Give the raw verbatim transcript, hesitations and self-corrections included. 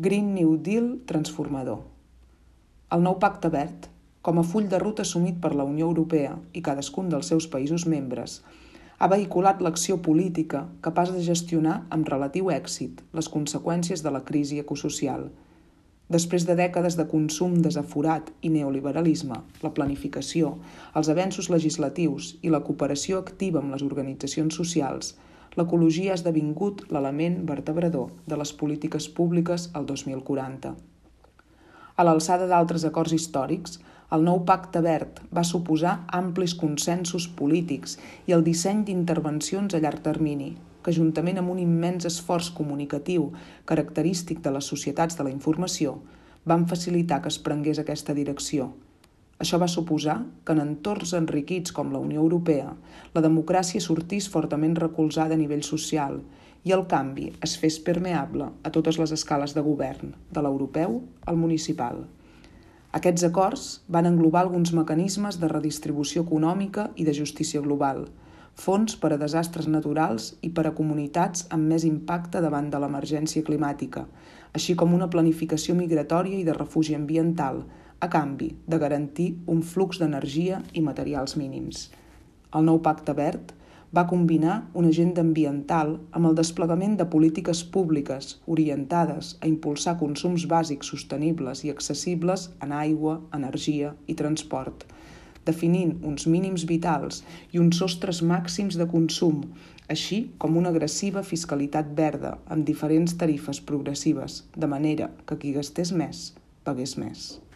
Green New Deal transformador. El nou Pacte Verd, com a full de ruta assumit per la Unió Europea i cadascun dels seus països membres, ha vehiculat l'acció política capaç de gestionar amb relatiu èxit les conseqüències de la crisi ecosocial. Després de dècades de consum desaforat i neoliberalisme, la planificació, els avenços legislatius i la cooperació activa amb les organitzacions socials, l'ecologia ha esdevingut l'element vertebrador de les polítiques públiques al dos mil quaranta. A l'alçada d'altres acords històrics, el nou Pacte Verd va suposar amplis consensos polítics i el disseny d'intervencions a llarg termini, que juntament amb un immens esforç comunicatiu característic de les societats de la informació, van facilitar que es prengués aquesta direcció. Això va suposar que en entorns enriquits com la Unió Europea, la democràcia sortís fortament recolzada a nivell social i el canvi es fes permeable a totes les escales de govern, de l'europeu al municipal. Aquests acords van englobar alguns mecanismes de redistribució econòmica i de justícia global, fons per a desastres naturals i per a comunitats amb més impacte davant de l'emergència climàtica, així com una planificació migratòria i de refugi ambiental, a canvi de garantir un flux d'energia i materials mínims. El nou Pacte Verd va combinar una agenda ambiental amb el desplegament de polítiques públiques orientades a impulsar consums bàsics sostenibles i accessibles en aigua, energia i transport, definint uns mínims vitals i uns sostres màxims de consum, així com una agressiva fiscalitat verda amb diferents tarifes progressives, de manera que qui gastés més, pagués més.